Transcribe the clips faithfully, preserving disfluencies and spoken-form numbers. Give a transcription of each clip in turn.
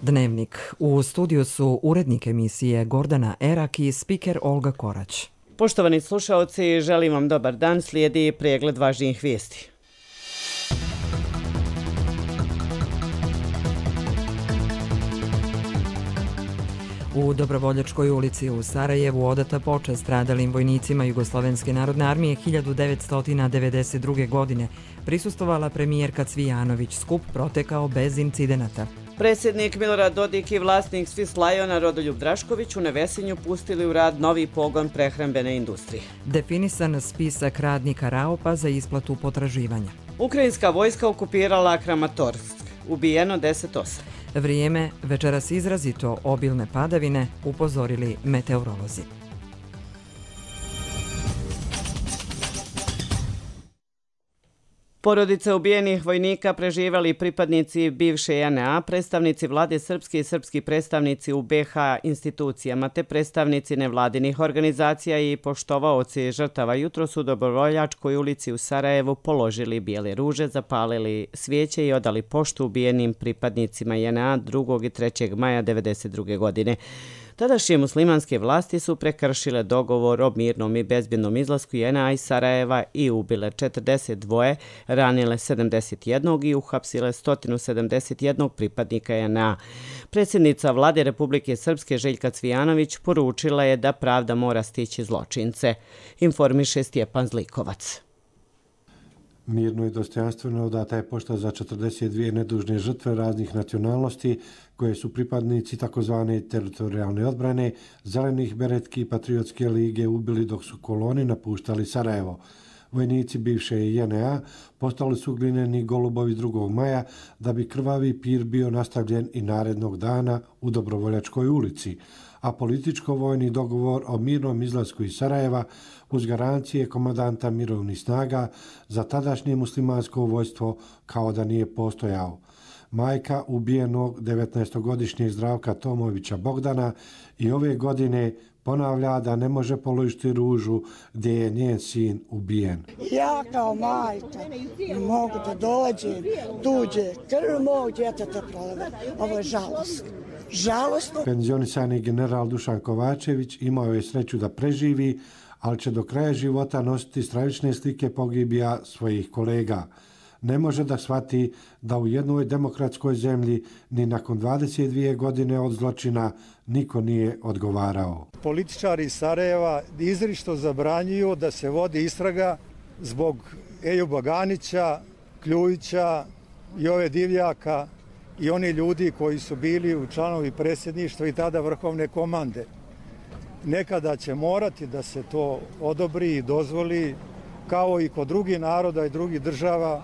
Dnevnik. U studiju su urednik emisije Gordana Erak i spiker Olga Korać. Poštovani slušaoci, želim vam dobar dan, slijedi pregled važnijih vijesti. U Dobrovoljačkoj ulici u Sarajevu odata počast stradalim vojnicima Jugoslovenske narodne armije hiljadu devetsto devedeset druge. godine prisustvovala premijerka Cvijanović. Skup protekao bez incidenata. Predsjednik Milorad Dodik i vlasnik Swiss Liona Rodoljub Drašković u Nevesinju pustili u rad novi pogon prehrambene industrije. Definisan spisak radnika Raopa za isplatu potraživanja. Ukrajinska vojska okupirala Kramatorsk. Ubijeno deset osoba. Vrijeme, večeras izrazito obilne padavine, upozorili meteorolozi. Porodice ubijenih vojnika preživjeli pripadnici bivše J N A, predstavnici vlade srpske i srpski predstavnici u B H institucijama te predstavnici nevladinih organizacija i poštovaoci žrtava jutros u Dobrovoljačkoj ulici u Sarajevu položili bijele ruže, zapalili svijeće i odali poštu ubijenim pripadnicima J N A drugog i trećeg maja devedeset druge. godine. Tadašnje muslimanske vlasti su prekršile dogovor o mirnom i bezbjednom izlasku J N A iz Sarajeva i ubile četrdeset dva, ranile sedamdeset jedan i uhapsile sto sedamdeset jedan pripadnika J N A. Predsjednica vlade Republike Srpske Željka Cvijanović poručila je da pravda mora stići zločince, informiše Stjepan Zlikovac. Mirno i dostojanstveno odata je pošta za četrdeset dvije nedužne žrtve raznih nacionalnosti koje su pripadnici takozvane teritorijalne odbrane, zelenih beretki i patriotske lige ubili dok su koloni napuštali Sarajevo. Vojnici bivše J N A postali su glineni golubovi drugog maja da bi krvavi pir bio nastavljen i narednog dana u Dobrovoljačkoj ulici, a političko-vojni dogovor o mirnom izlasku iz Sarajeva uz garancije komandanta mirovnih snaga za tadašnje muslimansko vojstvo kao da nije postojao. Majka ubijenog devetnaestogodišnjeg Zdravka Tomovića Bogdana i ove godine ponavlja da ne može položiti ružu gdje je njen sin ubijen. Ja kao majka ne mogu da dođem, tuđe krv mog djeteta proleve. Ovo je žalost. Žalostno. Penzionisani general Dušan Kovačević imao je sreću da preživi, ali će do kraja života nositi stravične slike pogibija svojih kolega. Ne može da shvati da u jednoj demokratskoj zemlji ni nakon dvadeset dvije godine od zločina niko nije odgovarao. Političari iz Sarajeva izričito zabranjuju da se vodi istraga zbog Ejuba Ganića, Kljujića i ove Divljaka i oni ljudi koji su bili u članovi predsjedništva i tada vrhovne komande. Nekada će morati da se to odobri i dozvoli kao i kod drugih naroda i drugih država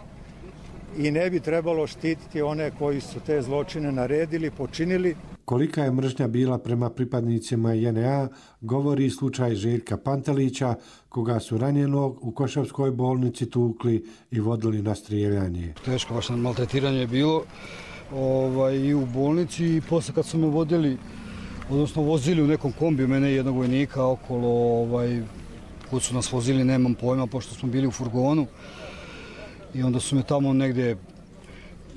i ne bi trebalo štititi one koji su te zločine naredili, počinili. Kolika je mržnja bila prema pripadnicima J N A govori slučaj Željka Pantelića, koga su ranjenog u Košavskoj bolnici tukli i vodili na strijeljanje. Teško baš maltretiranje je bilo ovaj, i u bolnici i posle kad su me vodili, odnosno vozili u nekom kombiju mene i jednog vojnika okolo, ovaj, kod su nas vozili, nemam pojma, pošto smo bili u furgonu. I onda su me tamo negdje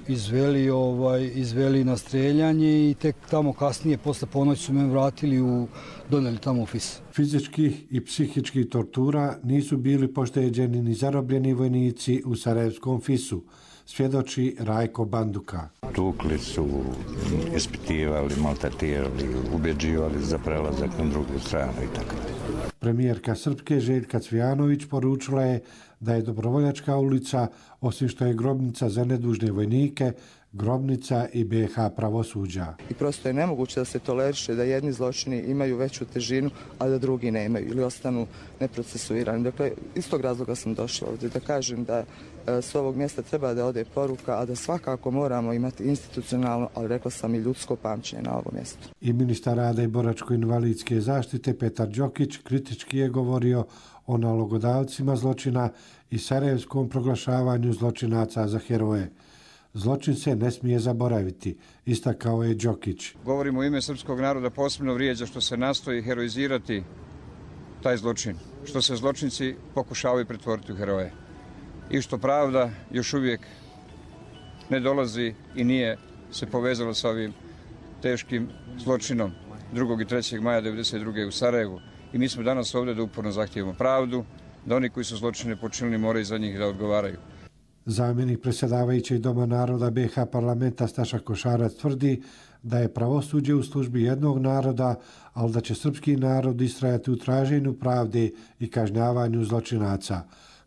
izveli, ovaj, izveli na streljanje i tek tamo kasnije, posle ponoći su me vratili u, doneli tamo u F I S. Fizičkih i psihičkih tortura nisu bili pošteđeni ni zarobljeni vojnici u sarajevskom F I S-u, svjedoči Rajko Banduka. Tukli su, ispitivali, maltretirali, ubjeđivali za prelazak na drugu stranu i tako. Premijerka Srpske Željka Cvijanović poručila je da je Dobrovoljačka ulica, osim što je grobnica za nedužne vojnike, grobnica i B H pravosuđa. I prosto je nemoguće da se toleriše da jedni zločini imaju veću težinu, a da drugi nemaju ili ostanu neprocesuirani. Dakle, iz tog razloga sam došla ovdje da kažem da s ovog mjesta treba da ode poruka, a da svakako moramo imati institucionalno, ali rekla sam i ljudsko pamćenje na ovom mjestu. I ministar rada i boračko-invalidske zaštite Petar Đokić kritički je govorio o nalogodavcima zločina i sarajevskom proglašavanju zločinaca za heroje. Zločin se ne smije zaboraviti, istakao je Đokić. Govorimo u ime srpskog naroda, posebno vrijeđa što se nastoji heroizirati taj zločin, što se zločinci pokušavaju pretvoriti u heroje i što pravda još uvijek ne dolazi i nije se povezala sa ovim teškim zločinom drugog i trećeg maja devedeset druge u Sarajevu. I mi smo danas ovdje da uporno zahtijevamo pravdu, da oni koji su zločine počinili moraju za njih da odgovaraju. Zamjenik predsjedavajućeg Doma naroda B H parlamenta Staša Košarac tvrdi da je pravosuđe u službi jednog naroda, ali da će srpski narod istrajati u traženju pravde i kažnjavanju zločinaca.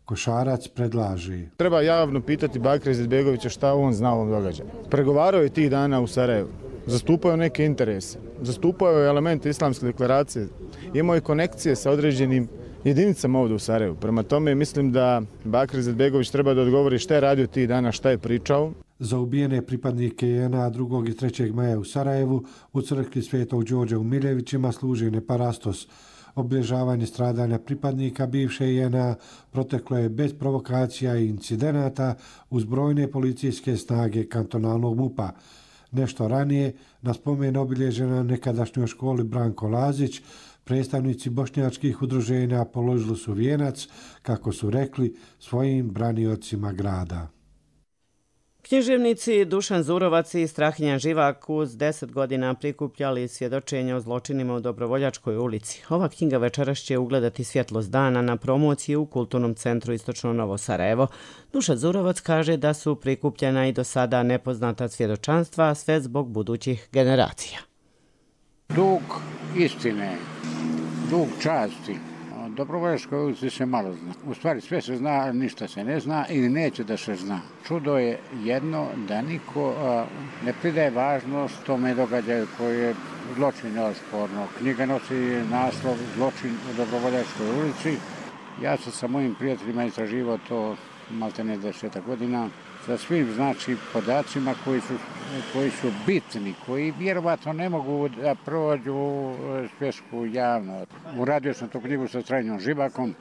Košarac predlaže. Treba javno pitati Bakira Izetbegovića šta on zna o ovom događaju. Pregovarao je tih dana u Sarajevu, zastupao je neke interese, zastupao je elemente islamske deklaracije, imao je konekcije sa određenim jedinicama ovdje u Sarajevu. Prema tome mislim da Bakir Izetbegović treba da odgovori šta je radio tih dana, šta je pričao. Za ubijene pripadnike J N A drugog i trećeg maja u Sarajevu u crkvi Svetog Đorđa u Miljevićima služi neparastos. Obilježavanje stradanja pripadnika bivše J N A proteklo je bez provokacija i incidenata uz brojne policijske snage kantonalnog M U P-a. Nešto ranije, na spomen obilježja na nekadašnjoj školi Branko Lazić, predstavnici bošnjačkih udruženja položili su vijenac, kako su rekli, svojim braniocima grada. Književnici Dušan Zurovac i Strahinja Živak uz deset godina prikupljali svjedočenja o zločinima u Dobrovoljačkoj ulici. Ova knjiga večeras će ugledati svjetlost dana na promociji u Kulturnom centru Istočno Novo Sarajevo. Dušan Zurovac kaže da su prikupljena i do sada nepoznata svjedočanstva, a sve zbog budućih generacija. Dug istine, dug časti. O Dobrovoljačkoj ulici se malo zna. U stvari sve se zna, ništa se ne zna ili neće da se zna. Čudo je jedno da niko a, ne pridaje važnost tome događaju koji je zločin neosporno. Knjiga nosi naslov Zločin u Dobrovoljačkoj ulici. Ja sam sa mojim prijateljima istraživao to maltene deseta godina sa svim znači podacima koji su, koji su bitni, koji vjerovatno ne mogu da prođu svjetsku javnost. Uradio sam tu knjigu sa Strahinjom Živakom,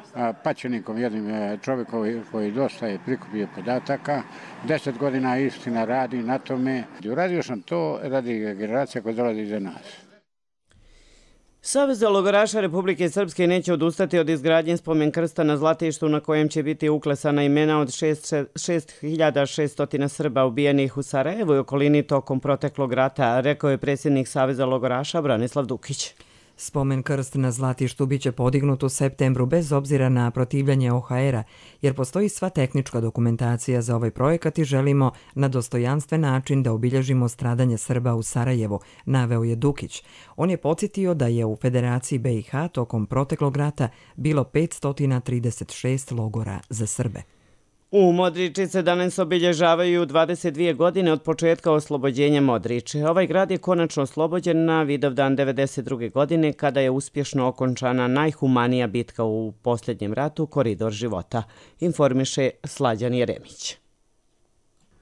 paćenikom, jednim čovjekom koji dosta je prikupio podataka. Deset godina istina radi na tome. Uradio sam to radi generacija koja dolazi iza nas. Savez za logoraša Republike Srpske neće odustati od izgradnje spomen krsta na Zlatištu na kojem će biti uklesana imena od šest hiljada šesto Srba ubijenih u Sarajevu i okolini tokom proteklog rata, rekao je predsjednik Saveza logoraša Branislav Dukić. Spomen krst na Zlatištu biće podignut u septembru bez obzira na protivljanje O H R-a, jer postoji sva tehnička dokumentacija za ovaj projekat i želimo na dostojanstven način da obilježimo stradanje Srba u Sarajevu, naveo je Dukić. On je podsjetio da je u Federaciji B i H tokom proteklog rata bilo petsto trideset šest logora za Srbe. U Modriči se danas obilježavaju dvadeset dvije godine od početka oslobođenja Modriče. Ovaj grad je konačno oslobođen na Vidovdan devedeset druge godine kada je uspješno okončana najhumanija bitka u posljednjem ratu, Koridor života, informiše Slađan Jeremić.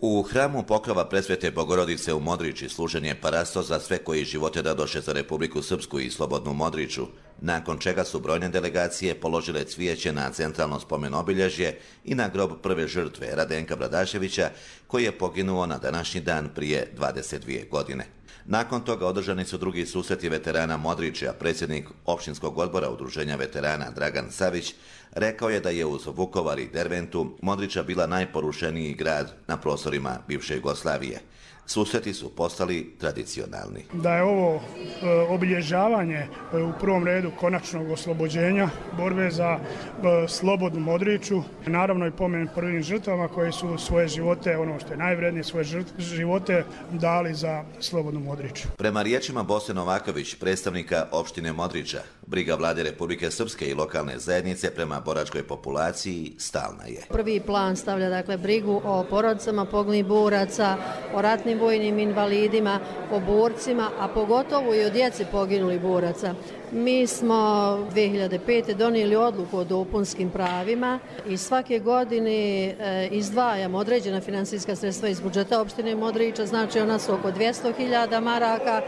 U hramu Pokrova Presvete Bogorodice u Modriči služen je parastos za sve koji živote dadoše za Republiku Srpsku i slobodnu Modriču, nakon čega su brojne delegacije položile cvijeće na centralno spomen obilježje i na grob prve žrtve Radenka Bradaševića, koji je poginuo na današnji dan prije dvadeset dvije godine. Nakon toga održani su drugi susreti veterana Modriče, a predsjednik općinskog odbora Udruženja veterana Dragan Savić rekao je da je uz Vukovar i Derventu Modriča bila najporušeniji grad na prostorima bivše Jugoslavije. Susreti su postali tradicionalni. Da je ovo e, obilježavanje e, u prvom redu konačnog oslobođenja, borbe za e, slobodnu Modriču, naravno i pomen prvim žrtvama koji su svoje živote, ono što je najvrednije, svoje žrtve, živote dali za slobodnu Modriču. Prema riječima Bose Novaković, predstavnika opštine Modriča, briga vlade Republike Srpske i lokalne zajednice prema boračkoj populaciji stalna je. Prvi plan stavlja dakle brigu o porodicama poginulih boraca, o ratnim vojnim invalidima, o borcima, a pogotovo i o djeci poginulih boraca. Mi smo dvije hiljade pete. donijeli odluku o dopunskim pravima i svake godine izdvajamo određena financijska sredstva iz budžeta opštine Modriča, znači ona su oko dvjesto hiljada maraka.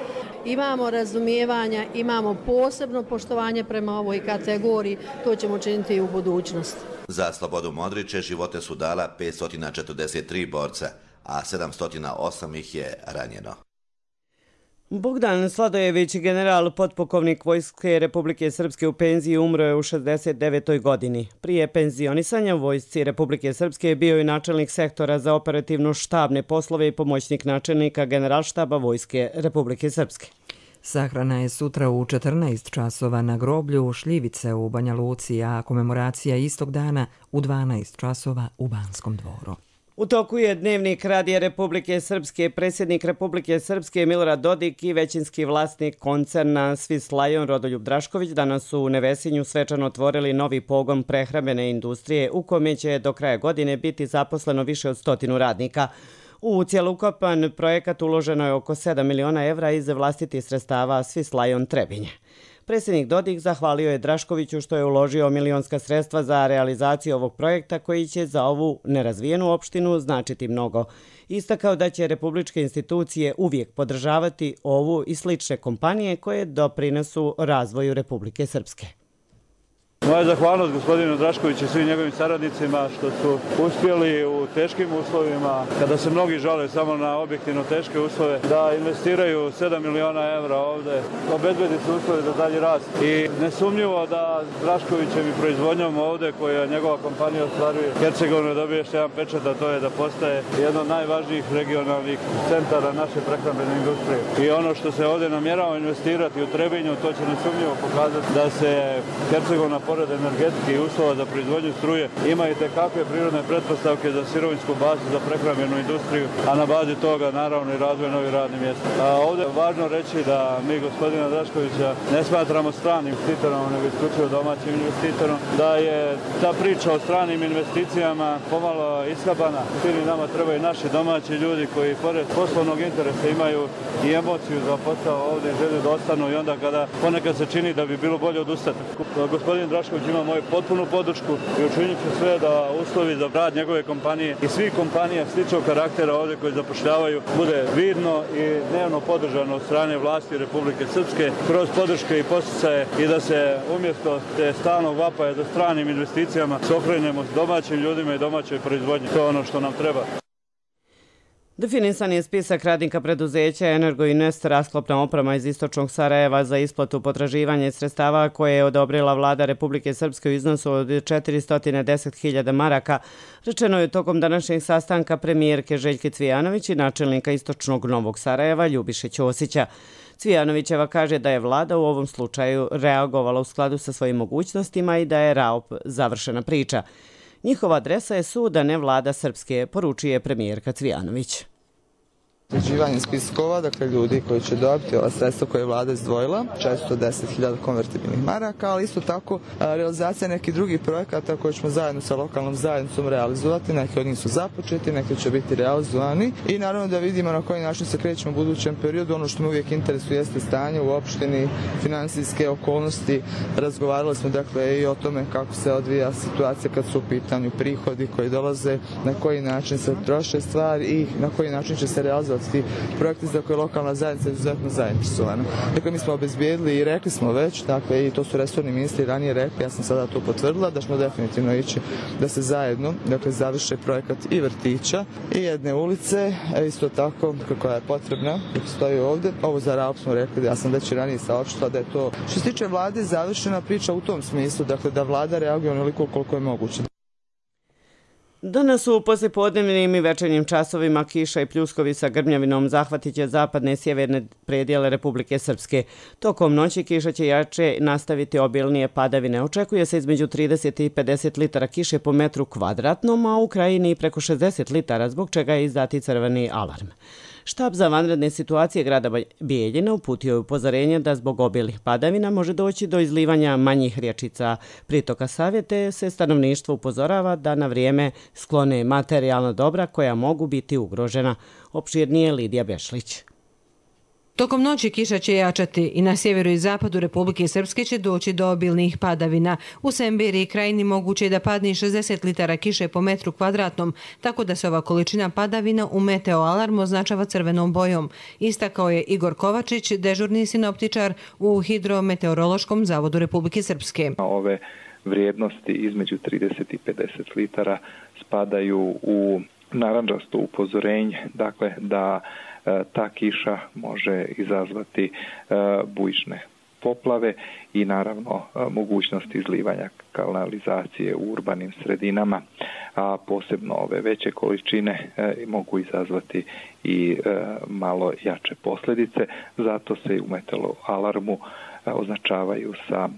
Imamo razumijevanja, imamo posebno poštovanje prema ovoj kategoriji, to ćemo činiti i u budućnosti. Za slobodu Modriče živote su dala petsto četrdeset tri borca, a sedamsto osam ih je ranjeno. Bogdan Sladojević, general potpukovnik Vojske Republike Srpske u penziji, umro je u šezdeset devetoj godini. Prije penzionisanja u Vojsci Republike Srpske bio je načelnik sektora za operativno štabne poslove i pomoćnik načelnika Generalštaba Vojske Republike Srpske. Sahrana je sutra u četrnaest časova na groblju Šljivice u Banja Luci, a komemoracija istog dana u dvanaest časova u Banskom dvoru. U toku je dnevnik Radija Republike Srpske. Predsjednik Republike Srpske Milorad Dodik i većinski vlasnik koncerna Swiss Lion Rodoljub Drašković danas su u Nevesinju svečano otvorili novi pogon prehrambene industrije u kome će do kraja godine biti zaposleno više od stotinu radnika. U cjelokupan projekat uloženo je oko sedam miliona evra iz vlastitih sredstava Swiss Lion Trebinje. Predsjednik Dodik zahvalio je Draškoviću što je uložio milionska sredstva za realizaciju ovog projekta koji će za ovu nerazvijenu opštinu značiti mnogo. Istakao da će republičke institucije uvijek podržavati ovu i slične kompanije koje doprinesu razvoju Republike Srpske. Moja zahvalnost gospodinu Draškoviću i svim njegovim saradnicima što su uspjeli u teškim uslovima, kada se mnogi žale samo na objektivno teške uslove, da investiraju sedam miliona evra ovdje, obezbedi se uslove za dalji rast. I nesumnjivo da Draškovićem i proizvodnjom ovdje, koja njegova kompanija ostvaruje, Hercegovina dobije još jedan pečat, a to je da postaje jedan od najvažnijih regionalnih centara naše prehrambene industrije. I ono što se ovdje namjerava investirati u Trebinju, to će nesumnjivo pokazati da se Hercegovina pored energetike i uslova za proizvodnju struje ima i tekakve prirodne pretpostavke za sirovinsku bazu za prehrambenu industriju, a na bazi toga naravno i razvoj novih radnih mjesta. A ovdje je važno reći da mi gospodina Draškovića ne smatramo stranim investitorom, nego isključivo domaćim investitorom, da je ta priča o stranim investicijama pomalo ishabana. Svim nama trebaju naši domaći ljudi koji pored poslovnog interesa imaju i emociju za posao ovdje, želju da ostanu i onda kada ponekad se čini da bi bilo bolje odustati. Gospodin Drašković ima moju potpunu podršku i učinit ću sve da uslovi za rad njegove kompanije i svih kompanija sličnog karaktera ovdje koji zapošljavaju bude vidno i dnevno podržano od strane vlasti Republike Srpske kroz podrške i posticaje i da se umjesto te stalnog vapaja za stranim investicijama se okrenemo s domaćim ljudima i domaćoj proizvodnji. To je ono što nam treba. Definisan je spisak radnika preduzeća Energoinvest, rasklopna oprema iz istočnog Sarajeva za isplatu potraživanja i sredstava koje je odobrila vlada Republike Srpske u iznosu od četiristo deset hiljada maraka. Rečeno je tokom današnjeg sastanka premijerke Željke Cvijanović i načelnika istočnog Novog Sarajeva Ljubiše Ćosića. Cvijanovićeva kaže da je vlada u ovom slučaju reagovala u skladu sa svojim mogućnostima i da je R A O P završena priča. Njihova adresa je sud, a ne vlada Srpske, poručuje premijerka Cvijanović. Sređivanje spiskova, dakle ljudi koji će dobiti ova sredstva koje je vlada izdvojila, četiristo deset hiljada konvertibilnih maraka, ali isto tako realizacija nekih drugih projekata koje ćemo zajedno sa lokalnom zajednicom realizovati. Neki od njih su započeti, neki će biti realizovani i naravno da vidimo na koji način se krećemo u budućem periodu. Ono što me uvijek interesuje jeste stanje u opštini, finansijske okolnosti. Razgovarali smo dakle i o tome kako se odvija situacija kad su u pitanju prihodi koji dolaze, na koji način se troše stvari i na koji način će se realizovati projekti za koje lokalna zajednica je izuzetno zainteresovana. Dakle, mi smo obezbijedili i rekli smo već, dakle, i to su resorni ministri ranije rekli, ja sam sada to potvrdila, da ćemo definitivno ići da se zajedno, dakle, završe projekat i vrtića i jedne ulice, isto tako koja je potrebna, dok stoji ovdje. Ovo za R A O P smo rekli, ja sam već i ranije saopštila da je to, što se tiče vlade, završena priča u tom smislu, dakle, da vlada reaguje onoliko koliko je moguće. Danas u poslijepodnevnim i večernjim časovima kiša i pljuskovi sa grmljavinom zahvatit će zapadne i sjeverne predjele Republike Srpske. Tokom noći kiša će jače nastaviti obilnije padavine. Očekuje se između trideset i pedeset litara kiše po metru kvadratnom, a u krajini preko šezdeset litara, zbog čega je izdati crveni alarm. Štab za vanredne situacije grada Bijeljina uputio je upozorenje da zbog obilnih padavina može doći do izlivanja manjih rječica pritoka Save, te se stanovništvo upozorava da na vrijeme sklone materijalna dobra koja mogu biti ugrožena. Opširnije Lidija Bešlić. Tokom noći kiša će jačati i na sjeveru i zapadu Republike Srpske će doći do obilnih padavina. U Sembiri i krajini moguće je da padne i šezdeset litara kiše po metru kvadratnom, tako da se ova količina padavina u meteo alarmu označava crvenom bojom. Istakao je Igor Kovačić, dežurni sinoptičar u Hidrometeorološkom zavodu Republike Srpske. Ove vrijednosti između trideset i pedeset litara spadaju u narandžasto upozorenje, dakle da ta kiša može izazvati bujične poplave i naravno mogućnost izlivanja kanalizacije u urbanim sredinama, a posebno ove veće količine mogu izazvati i malo jače posljedice. Zato se u metalo alarmu označavaju sa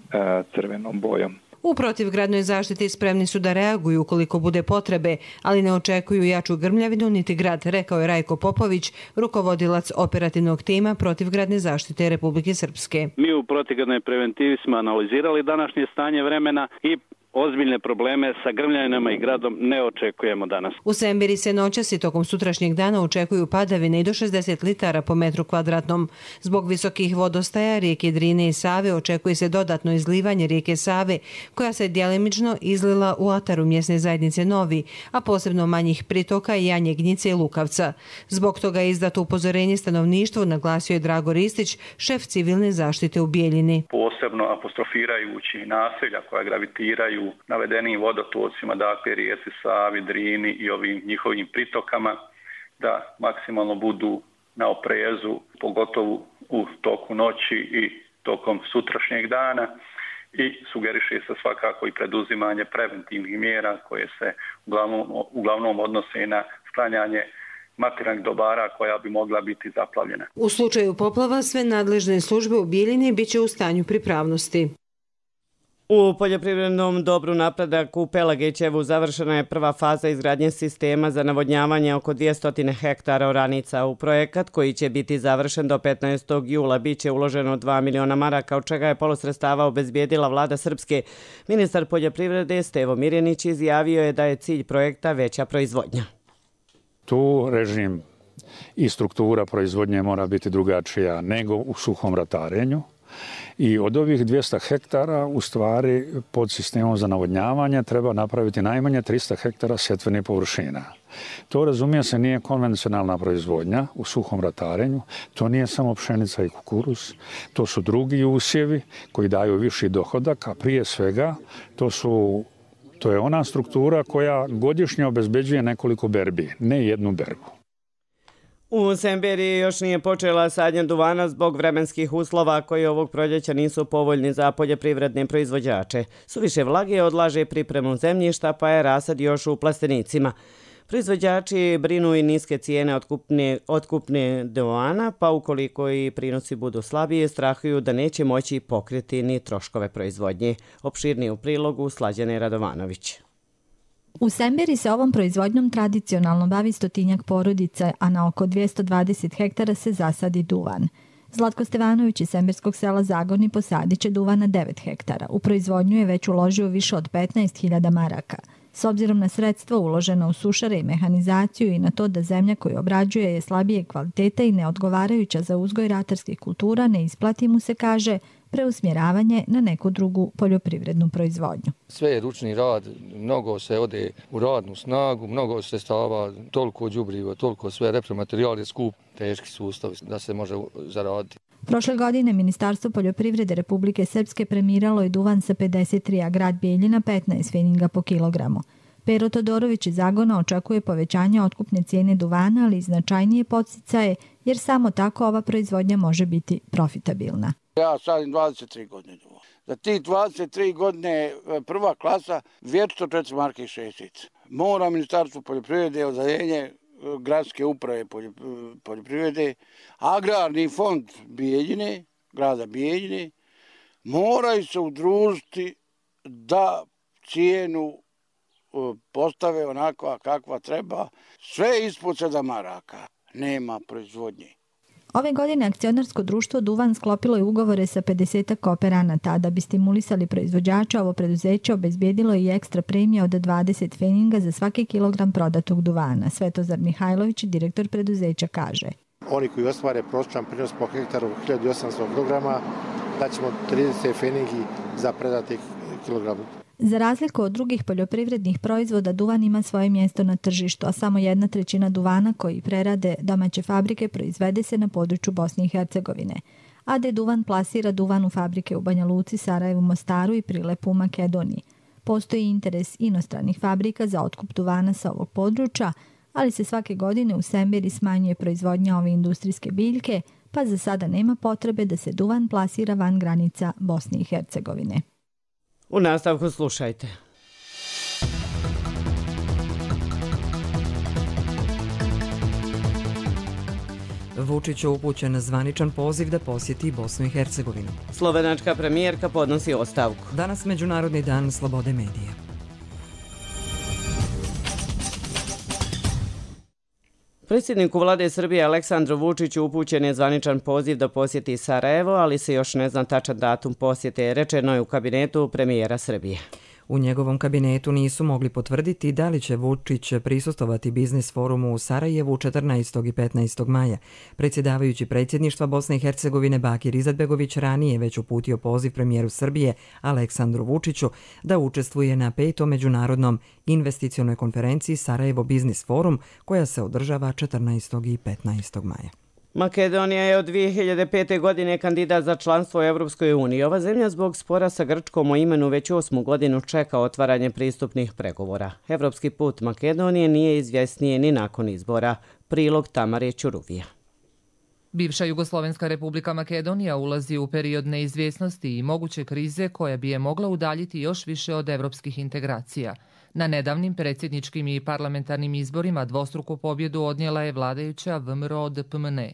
crvenom bojom. U protivgradnoj zaštiti spremni su da reaguju ukoliko bude potrebe, ali ne očekuju jaču grmljavinu niti grad, rekao je Rajko Popović, rukovodilac operativnog tima protivgradne zaštite Republike Srpske. Mi u protivgradnoj preventivi smo analizirali današnje stanje vremena i ozbiljne probleme sa grmljavinama i gradom ne očekujemo danas. U Sembiri se noćas i tokom sutrašnjeg dana očekuju padavine i do šezdeset litara po metru kvadratnom. Zbog visokih vodostaja rijeke Drine i Save očekuje se dodatno izlivanje rijeke Save, koja se djelimično izlila u ataru mjesne zajednice Novi, a posebno manjih pritoka i Janjegnjice i Lukavca. Zbog toga je izdato upozorenje stanovništvu, naglasio je Drago Ristić, šef civilne zaštite u Bijeljini. Posebno apostrofirajući naselja koja gravitiraju navedenim vodotocima, dakle rijeci Savi, Drini i ovim njihovim pritokama, da maksimalno budu na oprezu, pogotovo u toku noći i tokom sutrašnjeg dana, i sugeriše se svakako i preduzimanje preventivnih mjera koje se uglavnom, uglavnom odnose na sklanjanje materijalnih dobara koja bi mogla biti zaplavljena. U slučaju poplava sve nadležne službe u Bijeljini biće u stanju pripravnosti. U poljoprivrednom dobru Napredak u Pelagićevu završena je prva faza izgradnje sistema za navodnjavanje oko dvjesto hektara oranica. U projekat koji će biti završen do petnaestog jula biće uloženo dva miliona maraka, od čega je polu sredstava obezbijedila vlada Srpske. Ministar poljoprivrede Stevo Mirjanić izjavio je da je cilj projekta veća proizvodnja. Tu režim i struktura proizvodnje mora biti drugačija nego u suhom ratarenju. I od ovih dvjesto hektara u stvari pod sistemom za navodnjavanje treba napraviti najmanje tristo hektara setvenih površina. To, razumije se, nije konvencionalna proizvodnja u suhom ratarenju, to nije samo pšenica i kukuruz, to su drugi usjevi koji daju viši dohodak, a prije svega to su to je ona struktura koja godišnje obezbeđuje nekoliko berbi, ne jednu berbu. U Semberiji još nije počela sadnja duvana zbog vremenskih uslova koji ovog proljeća nisu povoljni za poljoprivredne proizvođače. Suviše vlage odlaže pripremu zemljišta, pa je rasad još u plastenicima. Proizvođači brinu i niske cijene otkupne, otkupne duvana, pa ukoliko i prinosi budu slabije, strahuju da neće moći pokriti ni troškove proizvodnje. Opširnije u prilogu Slađane Radovanović. U Semberi se ovom proizvodnjom tradicionalno bavi stotinjak porodica, a na oko dvjesto dvadeset hektara se zasadi duvan. Zlatko Stevanović iz semberskog sela Zagorni posadit će duvan na devet hektara. U proizvodnju je već uložio više od petnaest hiljada maraka. S obzirom na sredstva uložena u sušare i mehanizaciju i na to da zemlja koju obrađuje je slabije kvaliteta i neodgovarajuća za uzgoj ratarskih kultura, ne isplati mu se, kaže, preusmjeravanje na neku drugu poljoprivrednu proizvodnju. Sve je ručni rad, mnogo se ode u radnu snagu, mnogo se stava, toliko đubriva, toliko sve repromaterijal je skup, teški sustav da se može zaraditi. Prošle godine Ministarstvo poljoprivrede Republike Srpske premiralo je duvan sa pedeset tri, a grad Bijeljina petnaest feninga po kilogramu. Pero Todorović iz Zagona očekuje povećanje otkupne cijene duvana, ali i značajnije podsticaje, jer samo tako ova proizvodnja može biti profitabilna. Ja sadim dvadeset tri godine duvan. Za tih dvadeset tri godine prva klasa dvjesto četiri marke i šestic. Mora Ministarstvo poljoprivrede, odeljenje gradske uprave poljoprivrede, agrarni fond Bijeljine, grada Bijeljine, moraju se udružiti da cijenu postave onakva kakva treba, sve ispod sedam maraka. Nema proizvodnje. Ove godine akcionarsko društvo Duvan sklopilo je ugovore sa pedeset kooperanata, da bi stimulisali proizvođača, ovo preduzeće obezbijedilo i ekstra premije od dvadeset feninga za svaki kilogram prodatog duvana. Svetozar Mihajlović, direktor preduzeća, kaže. Oni koji ostvare prosječan prinos po hektaru hiljadu osamsto kilograma, daćemo trideset feningi za predati kilogram. Za razliku od drugih poljoprivrednih proizvoda, duvan ima svoje mjesto na tržištu, a samo jedna trećina duvana koji prerade domaće fabrike proizvede se na području Bosne i Hercegovine. A de Duvan plasira duvan u fabrike u Banja Luci, Sarajevu, Mostaru i Prilepu u Makedoniji. Postoji interes inostranih fabrika za otkup duvana sa ovog područja, ali se svake godine u Semberi smanjuje proizvodnja ove industrijske biljke, pa za sada nema potrebe da se duvan plasira van granica Bosne i Hercegovine. U nastavku slušajte. Vučić je upućen zvaničan poziv da posjeti Bosnu i Hercegovinu. Slovenačka premijerka podnosi ostavku. Danas Međunarodni dan slobode medija. Predsjedniku vlade Srbije Aleksandru Vučiću upućen je zvaničan poziv da posjeti Sarajevo, ali se još ne zna tačan datum posjete, rečeno je u kabinetu premijera Srbije. U njegovom kabinetu nisu mogli potvrditi da li će Vučić prisustvovati biznis forumu u Sarajevu četrnaestog i petnaestog maja. Predsjedavajući predsjedništva Bosne i Hercegovine Bakir Izetbegović ranije već uputio poziv premijeru Srbije Aleksandru Vučiću da učestvuje na petom međunarodnom investicionoj konferenciji Sarajevo Biznis Forum koja se održava četrnaestog i petnaestog maja. Makedonija je od dvije hiljade pete. godine kandidat za članstvo u Evropskoj uniji. Ova zemlja zbog spora sa Grčkom o imenu već osmu godinu čeka otvaranje pristupnih pregovora. Evropski put Makedonije nije izvjesnije ni nakon izbora. Prilog Tamare Ćuruvija. Bivša Jugoslovenska republika Makedonija ulazi u period neizvjesnosti i moguće krize koja bi je mogla udaljiti još više od evropskih integracija. Na nedavnim predsjedničkim i parlamentarnim izborima dvostruku pobjedu odnijela je vladajuća V M R O D P M N,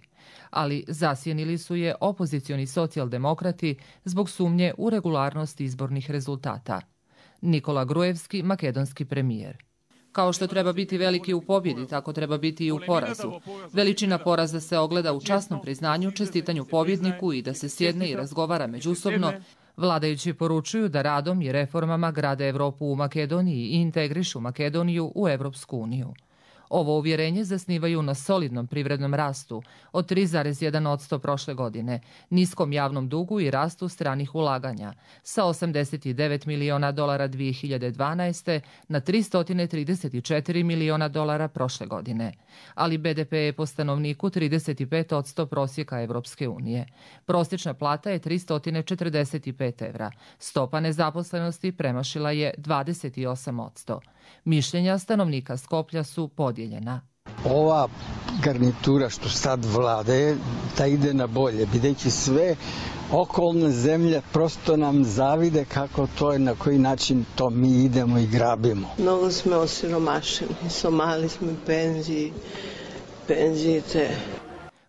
ali zasjenili su je opozicioni socijaldemokrati zbog sumnje u regularnost izbornih rezultata. Nikola Grujevski, makedonski premijer. Kao što treba biti veliki u pobjedi, tako treba biti i u porazu. Veličina poraza se ogleda u časnom priznanju, čestitanju pobjedniku i da se sjedne i razgovara međusobno. Vladajući poručuju da radom i reformama grade Evropu u Makedoniji i integrišu Makedoniju u Evropsku uniju. Ovo uvjerenje zasnivaju na solidnom privrednom rastu od tri zarez jedan posto prošle godine, niskom javnom dugu i rastu stranih ulaganja sa osamdeset devet miliona dolara dvije hiljade dvanaeste. na tristo trideset četiri miliona dolara prošle godine. Ali B D P je po stanovniku trideset pet posto prosjeka Evropske unije. Prosječna plata je tristo četrdeset pet evra. Stopa nezaposlenosti premašila je dvadeset osam posto. Mišljenja stanovnika Skoplja su podijeljena. Ova garnitura što sad vlade, da ide na bolje, videći sve okolne zemlje prosto nam zavide kako to je, na koji način to mi idemo i grabimo. Mnogo smo osiromašeni, Somali smo penziji, penzijete.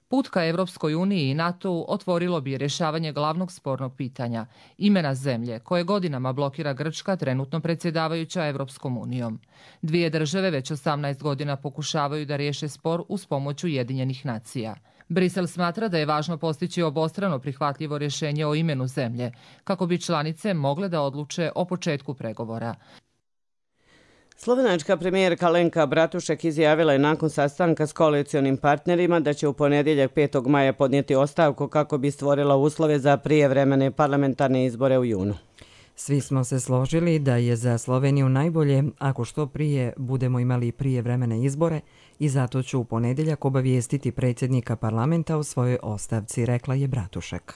Put ka Evropskoj uniji i NATO otvorilo bi rješavanje glavnog spornog pitanja, imena zemlje koje godinama blokira Grčka, trenutno predsjedavajuća Evropskom unijom. Dvije države već osamnaest godina pokušavaju da riješe spor uz pomoć Ujedinjenih nacija. Brisel smatra da je važno postići obostrano prihvatljivo rješenje o imenu zemlje, kako bi članice mogle da odluče o početku pregovora. Slovenačka premijerka Alenka Bratušek izjavila je nakon sastanka s koalicionim partnerima da će u ponedjeljak petog maja podnijeti ostavku kako bi stvorila uslove za prijevremene parlamentarne izbore u junu. Svi smo se složili da je za Sloveniju najbolje ako što prije budemo imali prijevremene izbore i zato ću u ponedjeljak obavijestiti predsjednika parlamenta o svojoj ostavci, rekla je Bratušek.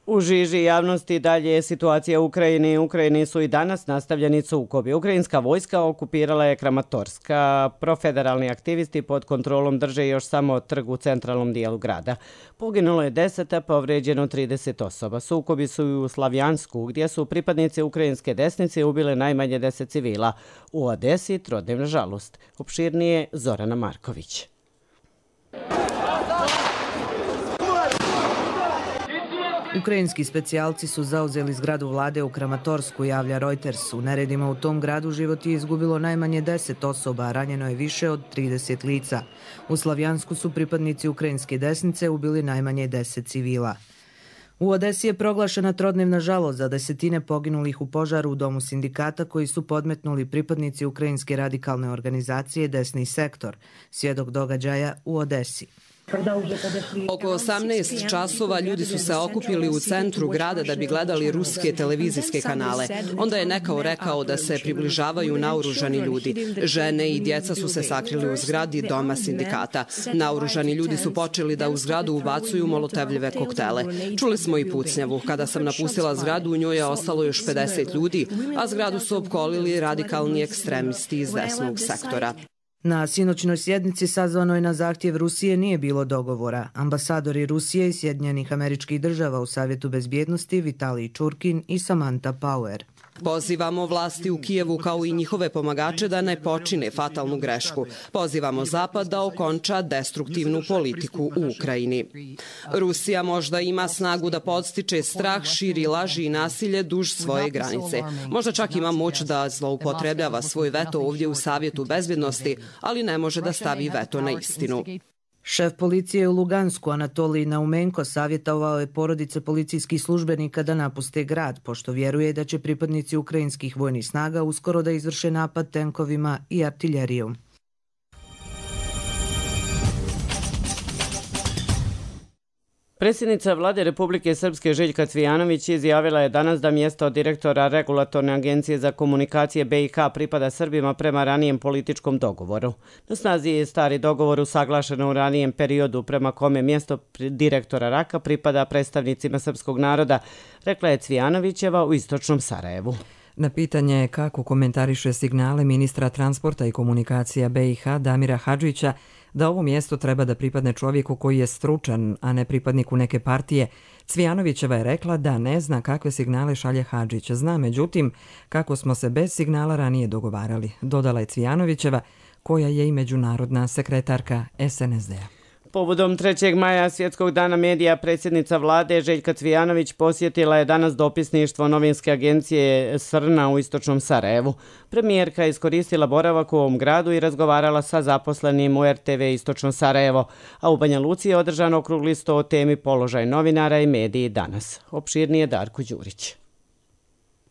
U žiži javnosti dalje je situacija u Ukrajini. U Ukrajini su i danas nastavljeni sukobi. Ukrajinska vojska okupirala je Kramatorska. Profederalni aktivisti pod kontrolom drže još samo trg u centralnom dijelu grada. Poginulo je deset, a povrijeđeno trideset osoba. Sukobi su i u Slavjansku, gdje su pripadnici ukrajinske desnice ubile najmanje deset civila. U Odesi trodnevna žalost. Opširnije Zorana Marković. Ukrajinski specijalci su zauzeli zgradu vlade u Kramatorsku, javlja Reuters. U neredima u tom gradu život je izgubilo najmanje deset osoba, a ranjeno je više od trideset lica. U Slavjansku su pripadnici ukrajinske desnice ubili najmanje deset civila. U Odesi je proglašena trodnevna žalost za desetine poginulih u požaru u domu sindikata koji su podmetnuli pripadnici ukrajinske radikalne organizacije Desni sektor, svjedok događaja u Odesi. Oko osamnaest časova ljudi su se okupili u centru grada da bi gledali ruske televizijske kanale. Onda je neko rekao da se približavaju naoružani ljudi. Žene i djeca su se sakrili u zgradi doma sindikata. Naoružani ljudi su počeli da u zgradu ubacuju molotevljive koktele. Čuli smo i pucnjavu. Kada sam napustila zgradu, u njoj je ostalo još pedeset ljudi, a zgradu su opkolili radikalni ekstremisti iz desnog sektora. Na sinoćnoj sjednici sazvanoj na zahtjev Rusije nije bilo dogovora. Ambasadori Rusije i Sjedinjenih Američkih Država u Savjetu bezbjednosti Vitalij Čurkin i Samantha Power. Pozivamo vlasti u Kijevu kao i njihove pomagače da ne počine fatalnu grešku. Pozivamo Zapad da okonča destruktivnu politiku u Ukrajini. Rusija možda ima snagu da podstiče strah, širi laži i nasilje duž svoje granice. Možda čak ima moć da zloupotrebljava svoj veto ovdje u Savjetu bezbjednosti, ali ne može da stavi veto na istinu. Šef policije u Lugansku Anatolij Naumenko savjetovao je porodice policijskih službenika da napuste grad, pošto vjeruje da će pripadnici ukrajinskih vojnih snaga uskoro da izvrše napad tenkovima i artiljerijom. Predsjednica Vlade Republike Srpske Željka Cvijanović izjavila je danas da mjesto direktora Regulatorne agencije za komunikacije B i H pripada Srbima prema ranijem političkom dogovoru. Na snazi je stari dogovor usaglašen u ranijem periodu prema kome mjesto direktora Raka pripada predstavnicima srpskog naroda, rekla je Cvijanovićeva u istočnom Sarajevu. Na pitanje kako komentariše signale ministra transporta i komunikacija B i H Damira Hadžića da ovo mjesto treba da pripadne čovjeku koji je stručan, a ne pripadniku neke partije, Cvijanovićeva je rekla da ne zna kakve signale šalje Hadžić. Zna, međutim, kako smo se bez signala ranije dogovarali, dodala je Cvijanovićeva, koja je i međunarodna sekretarka S N S D-a. Povodom trećeg maja Svjetskog dana medija, predsjednica Vlade Željka Cvijanović posjetila je danas dopisništvo novinske agencije Srna u istočnom Sarajevu. Premijerka je iskoristila boravak u ovom gradu i razgovarala sa zaposlenim u R T V istočno Sarajevo, a u Banja Luci je održan okrugli sto o temi položaj novinara i mediji danas. Opširnije Darko Đurić.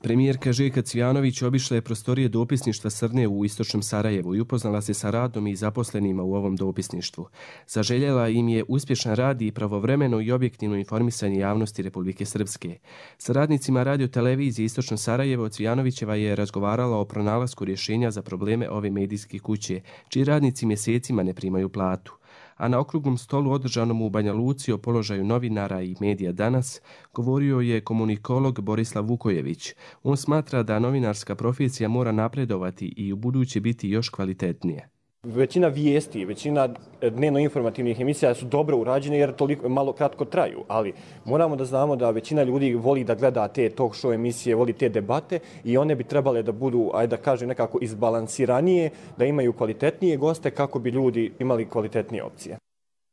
Premijerka Željka Cvijanović obišla je prostorije dopisništva Srne u istočnom Sarajevu i upoznala se sa radom i zaposlenima u ovom dopisništvu. Zaželjela im je uspješan rad i pravovremeno i objektivno informisanje javnosti Republike Srpske. Sa radnicima radio-televizije Istočno Sarajevo Cvijanovićeva je razgovarala o pronalasku rješenja za probleme ove medijske kuće, čiji radnici mjesecima ne primaju platu. A na okruglom stolu održanom u Banja Luci o položaju novinara i medija danas govorio je komunikolog Borislav Vukojević. On smatra da novinarska profesija mora napredovati i u buduće biti još kvalitetnije. Većina vijesti, većina dnevno informativnih emisija su dobro urađene jer toliko malo kratko traju, ali moramo da znamo da većina ljudi voli da gleda te talk show emisije, voli te debate i one bi trebale da budu, ajde da kažem, nekako izbalansiranije, da imaju kvalitetnije goste kako bi ljudi imali kvalitetnije opcije.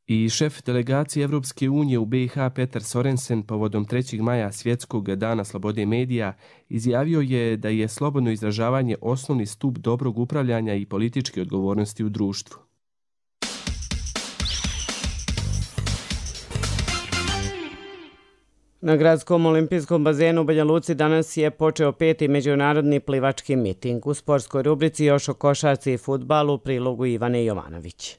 I šef delegacije Evropske unije u B i H Petar Sorensen povodom trećeg maja Svjetskog dana slobode medija izjavio je da je slobodno izražavanje osnovni stup dobrog upravljanja i političke odgovornosti u društvu. Na gradskom olimpijskom bazenu u Banja Luci danas je počeo peti međunarodni plivački miting. U sportskoj rubrici još o košarci i fudbalu u prilogu Ivane Jovanović.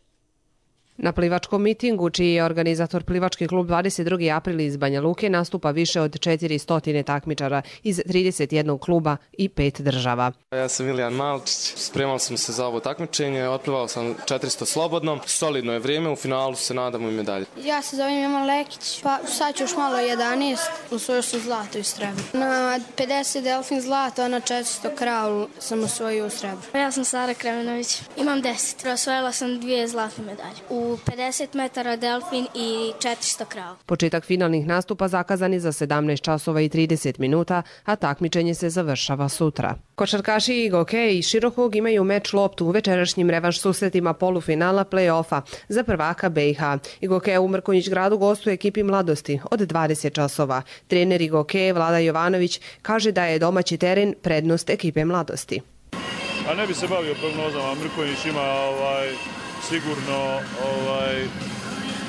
Na plivačkom mitingu, čiji je organizator plivački klub dvadeset drugi april iz Banja Luke, nastupa više od četiristo takmičara iz trideset jednog kluba i pet država. Ja sam Milijan Malčić, spremao sam se za ovo takmičenje, otplivao sam četiristo slobodno, solidno je vrijeme, u finalu se nadamo i medalje. Ja se zovem Ivan Lekić, pa sad ću još malo jedanaest, osvojio sam zlato i srebro. Na pedeset delfin zlato, a na četiristo kraul sam osvojio u srebro. Ja sam Sara Kremenović, imam deset, osvojila sam dvije zlatne medalje. U pedeset metara delfin i četiristo kraul. Početak finalnih nastupa zakazan je za sedamnaest časova i trideset minuta, a takmičenje se završava sutra. Košarkaši Igoke i Širokog imaju meč loptu u večerašnjim revanš susretima polufinala play-offa za prvaka B i H. Igoke u Mrkonjić gradu gostuje ekipi Mladosti od dvadeset časova. Trener Igoke Vlada Jovanović kaže da je domaći teren prednost ekipe Mladosti. A ne bi se bavio prognozama, Mrkonjić ima ovaj, sigurno ovaj,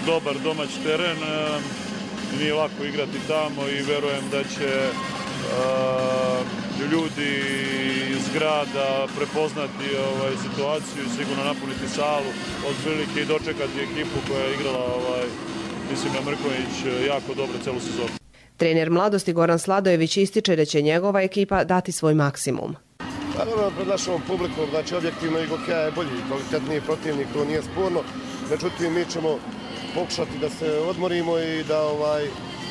dobar domać teren, nije lako igrati tamo i verujem da će uh, ljudi iz grada prepoznati ovaj, situaciju i sigurno napuniti salu od prilike i dočekati ekipu koja je igrala, ovaj, mislim na Mrkonjić, jako dobro celu sezonu. Trener Mladosti Goran Sladojević ističe da će njegova ekipa dati svoj maksimum. Naravno, pred našom publikom, znači objektivno Igokeja je bolji, kvalitetniji protivnik, to nije sporno. Međutim, mi ćemo pokušati da se odmorimo i da, ovaj,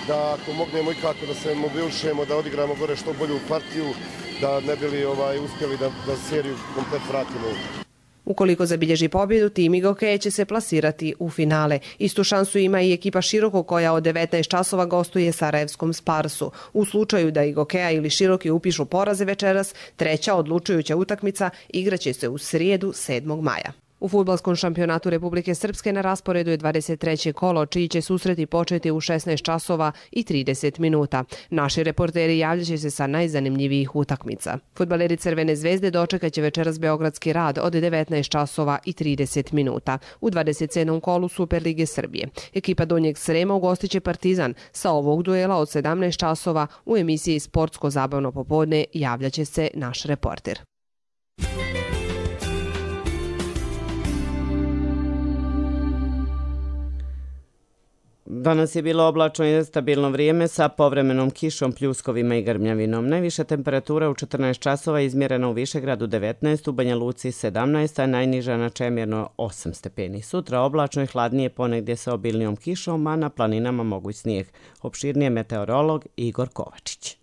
da ako mognemo ikako da se mobilišemo, da odigramo gore što bolju partiju, da ne bili ovaj, uspjeli da, da seriju komplet vratimo. Ukoliko zabilježi pobjedu, tim Igokeje će se plasirati u finale. Istu šansu ima i ekipa Široko koja od devetnaest časova gostuje Sarajevskom Sparsu. U slučaju da Igokeja ili Široki upišu poraze večeras, treća odlučujuća utakmica igraće se u srijedu sedmog maja. U fudbalskom šampionatu Republike Srpske na rasporedu je dvadeset treće kolo, čiji će susreti početi u šesnaest časova i trideset minuta. Naši reporteri javljaće se sa najzanimljivijih utakmica. Fudbaleri Crvene zvezde dočekaće večeras Beogradski Rad od devetnaest časova i trideset minuta. U dvadeset sedmom kolu Superlige Srbije. Ekipa Donjeg Srema ugostiće Partizan. Sa ovog duela od sedamnaest časova u emisiji Sportsko zabavno popodne javljaće se naš reporter. Danas je bilo oblačno i stabilno vrijeme sa povremenom kišom, pljuskovima i grmljavinom. Najviša temperatura u četrnaest časova izmjerena u Višegradu devetnaest, u Banja Luci sedamnaest, a najniža na Čemirno osam stepeni. Sutra oblačno i hladnije ponegdje sa obilnijom kišom, a na planinama moguć snijeg. Opširnije meteorolog Igor Kovačić.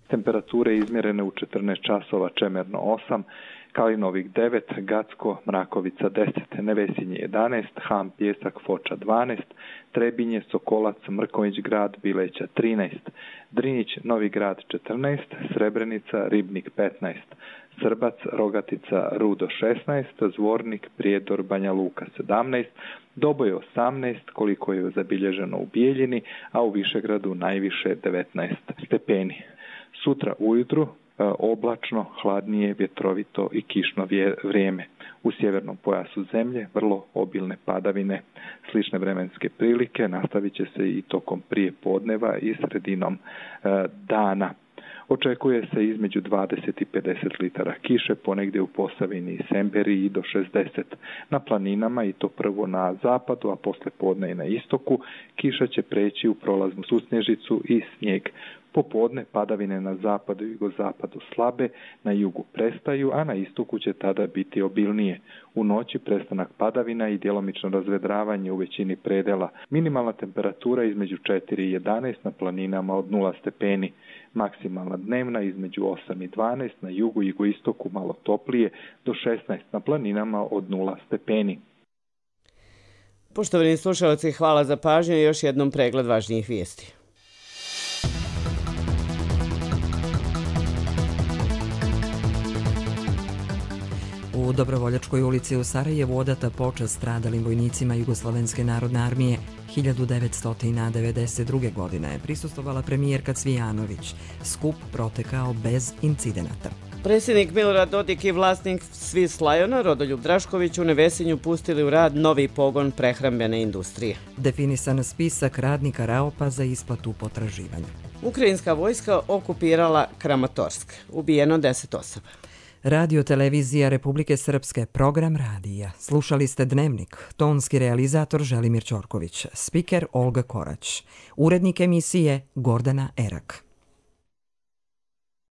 Temperature izmjerene u četrnaest časova Čemerno osam, Kalinovik devet, Gacko, Mrakovica deset, Nevesinje jedanaest, Ham, Pjesak, Foča dvanaest, Trebinje, Sokolac, Mrkonjić grad, Bileća trinaest, Drinjić, Novi grad četrnaest, Srebrenica, Ribnik petnaest, Srbac, Rogatica, Rudo šesnaest, Zvornik, Prijedor, Banja Luka sedamnaest, Doboj osamnaest, koliko je zabilježeno u Bijeljini, a u Višegradu najviše devetnaest stepeni. Sutra ujutru oblačno, hladnije, vjetrovito i kišno vrijeme. U sjevernom pojasu zemlje vrlo obilne padavine. Slične vremenske prilike nastavit će se i tokom prije podneva i sredinom dana. Očekuje se između dvadeset i pedeset litara kiše, ponegdje u Posavini i Semberiji do šezdeset. Na planinama, i to prvo na zapadu, a posle podne i na istoku, kiša će preći u prolaznu susnježicu i snijeg. Popodne padavine na zapadu i jugozapadu slabe, na jugu prestaju, a na istoku će tada biti obilnije. U noći prestanak padavina i djelomično razvedravanje u većini predela. Minimalna temperatura između četiri i jedanaest, na planinama od nula stepeni. Maksimalna dnevna između osam i dvanaest, na jugu i jugoistoku malo toplije, do šesnaest, na planinama od nula stepeni. Poštovani slušalci, hvala za pažnju i još jednom pregled važnijih vijesti. U Dobrovoljačkoj ulici u Sarajevu odata počast stradalim vojnicima Jugoslovenske narodne armije hiljadu devetsto devedeset druge. godine je prisustvovala premijerka Cvijanović. Skup protekao bez incidenata. Predsjednik Milorad Dodik i vlasnik Swiss Liona Rodoljub Drašković u Nevesinju pustili u rad novi pogon prehrambene industrije. Definisan spisak radnika Raopa za isplatu potraživanja. Ukrajinska vojska okupirala Kramatorsk. Ubijeno deset osoba. Radio televizija Republike Srpske, program radija. Slušali ste Dnevnik, tonski realizator Želimir Ćorković, spiker Olga Korać, urednik emisije Gordana Erak.